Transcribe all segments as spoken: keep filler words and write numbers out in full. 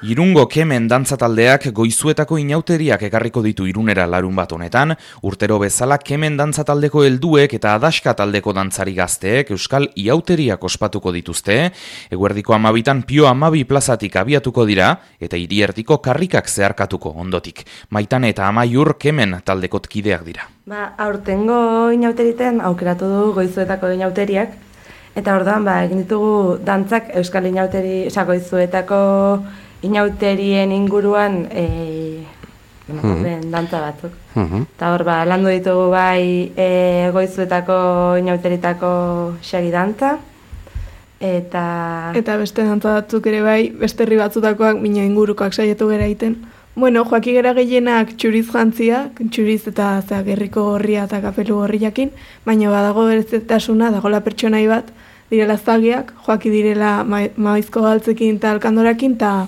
Irungo Kemen dantzataldeak goizuetako inauteriak ekarriko ditu Irunera larun bat honetan, urtero bezala Kemen dantzataldeko helduek eta Adaxka taldeko dantzari gazteek euskal iauteriak ospatuko dituzte, eguerdiko amabitan Pio Amabi plazatik abiatuko dira eta hiriertiko karrikak zeharkatuko ondotik. Maitane eta Amaiur Kemen taldekot kideak dira. Ba, aurtengo inauteriten aukeratu du goizuetako inauteriak, eta orduan ba, egin ditugu dantzak euskal inauteri, oza, goizuetako inauterien inguruan e, mm-hmm. dantza batzuk. Mm-hmm. Eta hor, ba, landu ditugu bai e, goizuetako inauteritako xagi dantza, eta... Eta beste dantza batzuk ere bai, beste herri batzutakoak mina ingurukoak saiatu gara egiten. Bueno, joaki gara gehienak txuriz jantzia, txuriz eta zera, gerriko gorria eta kapelu gorriakin, baina badago berezetasuna, dagoela pertsonai bat, direla zagiak, joaki direla ma- maizko galtzekin eta alkandorakin, eta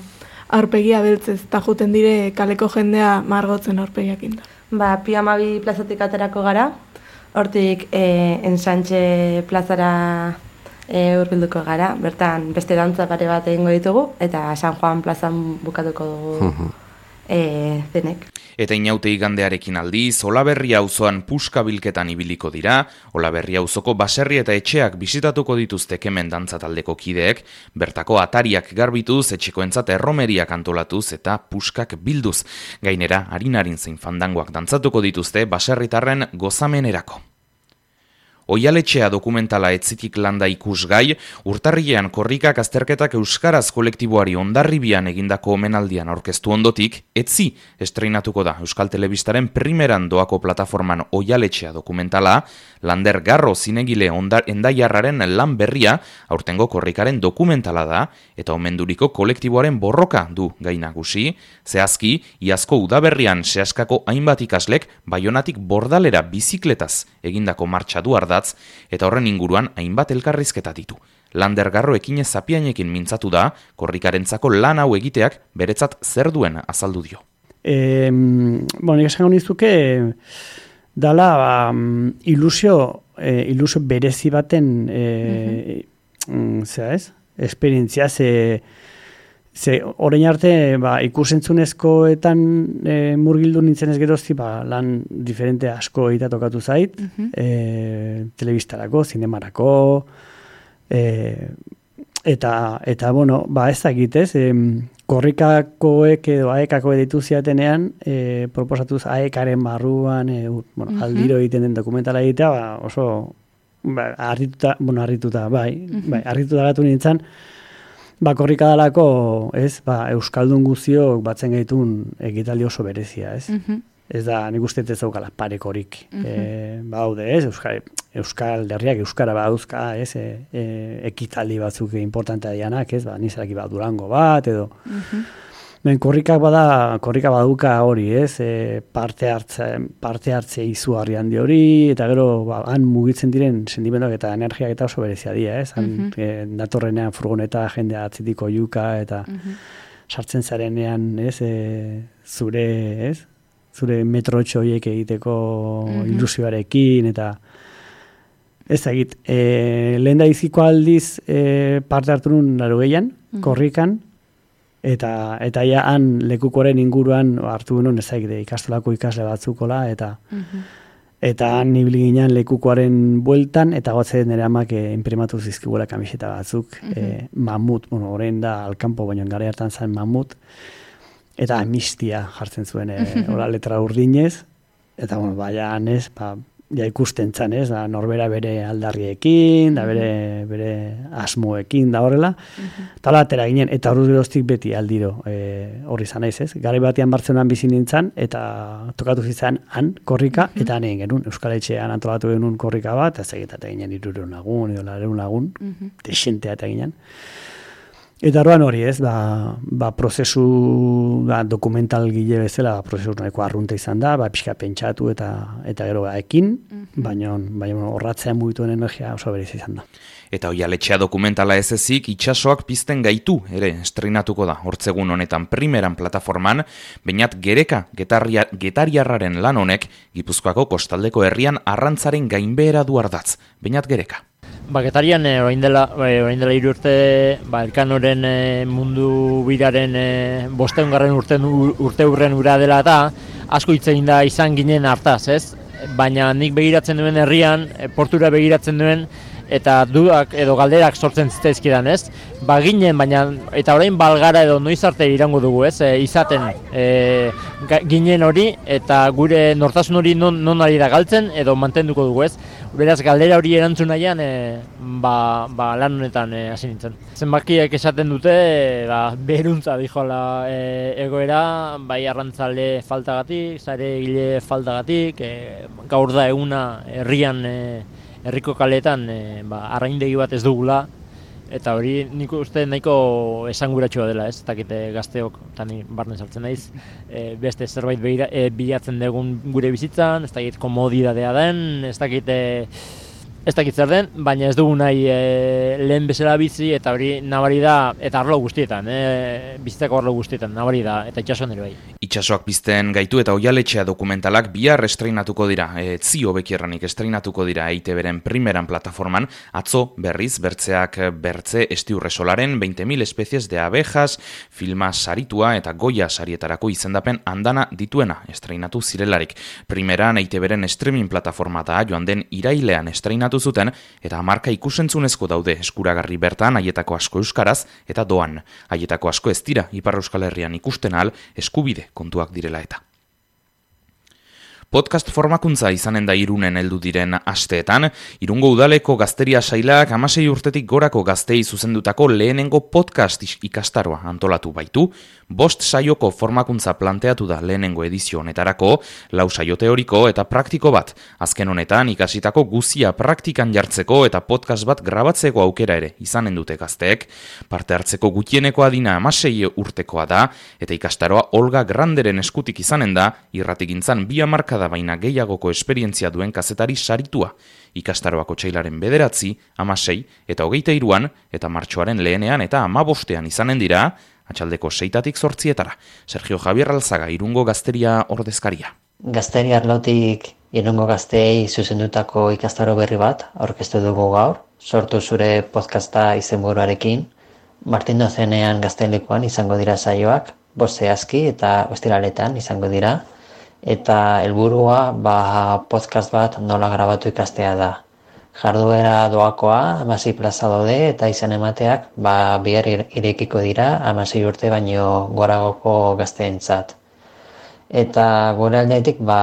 aurpegia beltzez, eta juten dire kaleko jendea margotzen aurpegiakin. Ba, Pio Amabi plazatik aterako gara, hortik e, Ensantxe plazara e, hurbilduko gara, bertan beste dantza pare bat egingo ditugu, eta San Juan plazan bukatuko dugu e, denek. Eta inaute igandearekin aldiz, Olaberria auzoan puska bilketan ibiliko dira, Olaberria auzoko baserri eta etxeak bisitatuko dituzte Kemen dantzataldeko kideek, bertako atariak garbituz, etxekoentzat erromeriak antolatuz eta puskak bilduz. Gainera, harinarin zein fandangoak dantzatuko dituzte baserritarren gozamenerako. Oialetxea dokumentala etzitik landa ikusgai, urtarrilean korrikak azterketak euskaraz kolektiboari Hondarribian egindako omenaldian aurkeztu ondotik, etzi estreinatuko da Euskal Telebistaren primeran doako plataforman Oialetxea dokumentala, Lander Garro zinegile endaiarraren lan berria, aurtengo korrikaren dokumentala da, eta omenduriko kolektiboaren borroka du gai nagusi, zehazki, iazko udaberrian sehaskako hainbat ikaslek Baionatik Bordalera bizikletaz egindako martxa du ardatz, eta horren inguruan hainbat elkarrizketa ditu. Lander Garro ekinez zapiainekin mintzatu da, korrikarentzako lan hau egiteak beretzat zer duen azaldu dio. E, bueno, esango nizuke, dala ba, ilusio, e, ilusio berezi baten e, mm-hmm. zera ez? Esperientzia, ze, ze orain arte ba, ikusentzunezkoetan e, murgildu nintzen ez gerozti, ba, lan diferente asko egitea tokatu zait, mm-hmm. e, telebistarako, zinemarako, e, eta, eta bueno, ba, ez dakit ez, e, korrikakoek edo aekako editu ziatenean, e, proposatuz aekaren barruan, e, bueno, mm-hmm. aldiro egiten den dokumentala egitea, ba, oso ba, arrituta, bueno, arrituta, bai, mm-hmm. bai, arrituta gatu nintzen, ba, korrika dalako, ez, ba, euskaldun guztiok batzen gaitun egitaldi oso berezia, ez? Mm-hmm. Ez da, nik uste ez daukala parekorik. Mm-hmm. E, ba, haude, ez, Euskal, Euskal derriak euskara badauzka, ez, e, e, ekitaldi batzuk importantea dianak, ez, ba, nizaraki bat Durango bat, edo. Mm-hmm. Ben, korrikak bada, korrika baduka hori, ez, e, parte hartze, parte hartze izugarri handi hori, eta gero, ba, han mugitzen diren sentimenduak eta energiak eta oso berezia dira, ez, han, mm-hmm. e, datorrenean furgoneta jendea atzitiko juka, eta mm-hmm. sartzen zarenean, ez, e, zure, ez, zure metrotxo horiek egiteko mm-hmm. ilusioarekin, eta ez egit, e, lehen da iziko aldiz e, parte hartu nun laro gehian, mm-hmm. korrikan, eta eta ja han lekukoren inguruan hartu genuen ez egite ikastolako ikasle batzukola, eta mm-hmm. eta han ibili ginen lekukoaren bueltan, eta gotze nire amak e, imprimatu zizkiguela kamiseta batzuk, mm-hmm. e, mamut, bueno, orain da alkampo, baino gara hartan zen mamut, eta amnistia jartzen zuen, e, hola letra urdinez, eta bueno, baina anez, ba, ja ikusten zan, ez, da, norbera bere aldarriekin, da bere, bere asmoekin, da horrela, eta hola atera ginen, eta horruz geroztik beti aldiro e, horri zan naiz, ez, gari batean Bartzelonan bizi nintzen, eta tokatu zitzen han korrika, eta han egin genuen, Euskal Etxean antolatu genuen korrika bat, ez egiten ginen irurehun lagun, edo laurehun lagun, desentea eta ginen. Eta horrean hori ez, ba, ba prozesu ba, dokumental gile bezala, ba, prozesu nahiko arrunta izan da, ba, pixka pentsatu eta eta gero ba, ekin, mm-hmm. baina, baina horratzean mugituen energia oso berez izan da. Eta Oialetxea dokumentala ez ezik, itxasoak pizten gaitu, ere, estrenatuko da, hortzegun honetan primeran plataforman, Beñat Gereka getarria, getariarraren lan honek, Gipuzkoako kostaldeko herrian arrantzaren gainbehera du ardatz. Beñat Gereka. Baketarian e, orain dela e, orain dela hiru urte, ba Elkanoren e, mundu biraren e, bostehungarren urte urte urren ura dela eta asko hitz egin da izan ginen hartaz, ez? Baina nik begiratzen duen herrian, e, portura begiratzen duen eta dudak edo galderak sortzen zitzaizkidan, ez? Ba ginen, baina eta orain balgara edo noiz arte irango dugu, ez? E, izaten e, ginen hori eta gure nortasun hori non, non ari da galtzen edo mantenduko dugu, ez? Beraz, galdera hori erantzun nahian, e, ba, ba, lan honetan hasi e, nintzen. Zenbakiek esaten dute, e, ba, beruntza dijola e, egoera, bai arrantzale faltagatik, zare gile faltagatik, e, gaur da eguna herrian, e, herriko kaletan, e, ba, arraindegi bat ez dugula, eta hori nik uste nahiko esanguratsua dela, ez? Ez dakit gazteok, tani barne sartzen naiz, e, beste zerbait behira, e, bilatzen dugun gure bizitzan, ez dakit komodidadea den, ez dakit, e, ez dakit zer den, baina ez dugu nahi e, lehen bezala bizi, eta hori nabari da, eta arlo guztietan, e, bizitzako arlo guztietan, nabari da, eta itxasoan ere bai. Itxasoak pizten gaitu eta Oihaletxea dokumentalak bihar estreinatuko dira, e, zio bekierranik estreinatuko dira E I Te Beren primeran plataforman, atzo berriz, bertzeak bertze estiurresolaren veinte mil especies de abejas, filma saritua eta Goya sarietarako izendapen andana dituena estreinatu zirelarik. Primeran E I Te Beren streaming plataformata joan den irailean estreinatu zuten eta hamarka ikusentzunezko daude eskuragarri bertan haietako asko euskaraz eta doan. Haietako asko ez dira Ipar Euskal Herrian ikusten ahal eskubide kontuak direla eta. Podcast formakuntza izanen da Irunen heldu diren asteetan, Irungo udaleko gazteria sailak hamasei urtetik gorako gaztei zuzendutako lehenengo podcast ikastaroa antolatu baitu, bost saioko formakuntza planteatu da lehenengo edizio honetarako, lau saio teoriko eta praktiko bat, azken honetan ikasitako guzia praktikan jartzeko eta podcast bat grabatzeko aukera ere izanen dute gazteek, parte hartzeko gutieneko adina hamasei urtekoa da, eta ikastaroa Olga Granderen eskutik izanen da, irratigintzan bi hamarka da baina gehiagoko esperientzia duen kazetari saritua. Ikastaroako txailaren bederatzi, hamasei eta hogeita hiruan eta martxoaren lehenean eta hamabostean izanen dira, atxaldeko seitatik zortzietara. Sergio Javier Alzaga, Irungo gazteria ordezkaria. Gazteria arlotik Irungo gazteei zuzendutako ikastaro berri bat aurkeztu dugu gaur, sortu zure podcasta izenburuarekin. Martin Dozenean Gaztelekuan izango dira saioak, bost zehazki eta ostiraletan izango dira. Eta helburua ba, podcast bat nola grabatu ikastea da. Jarduera doakoa, hamasei plaza daude eta izan emateak ba, bihar irekiko dira hamasei urte baino goragoko gazteentzat. Eta gure aldetik ba,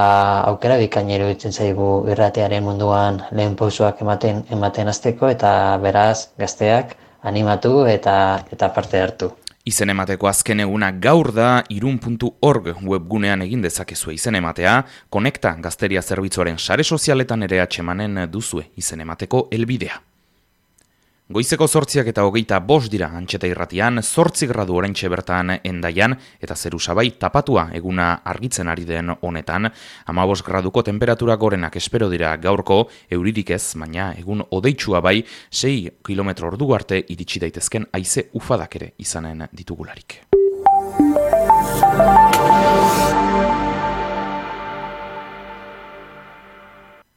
aukera bikaina iruditzen zaigu irratearen munduan lehen pausoak ematen ematen hasteko eta beraz gazteak animatu eta eta parte hartu. Izen emateko azken eguna gaur da irun puntu org webgunean egin dezakezue izen ematea, Konekta Gazteria Zerbitzuaren sare sozialetan ere atsemanen duzue izen emateko helbidea. Goizeko zortziak eta hogeita bost dira Antxeta Irratian, zortzi gradu oraintxe bertan Endaian eta zerusabai tapatua eguna argitzen ari den honetan, hamabost graduko temperatura gorenak espero dira gaurko, euririk ez, baina egun odeitsua bai, sei kilometro ordu arte iritsi daitezken haize ufadak ere izanen ditugularik.